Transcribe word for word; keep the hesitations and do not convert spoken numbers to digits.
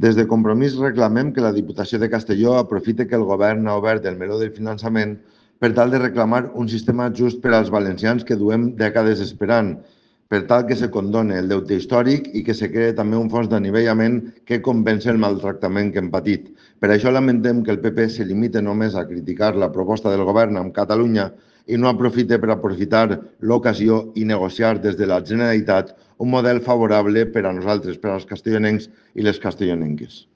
Des de Compromís reclamem que la Diputació de Castelló aprofite que el Govern ha obert el meló del finançament per tal de reclamar un sistema just per als valencians que duem dècades esperant, per tal que se condone el deute històric i que se creï també un fons d'anivellament que compensi el maltractament que hem patit. Per això lamentem que el P P se limite només a criticar la proposta del Govern amb Catalunya i no aprofite per aprofitar l'ocasió i negociar des de la Generalitat un model favorable per a nosaltres, per als castellonencs i les castellonenques.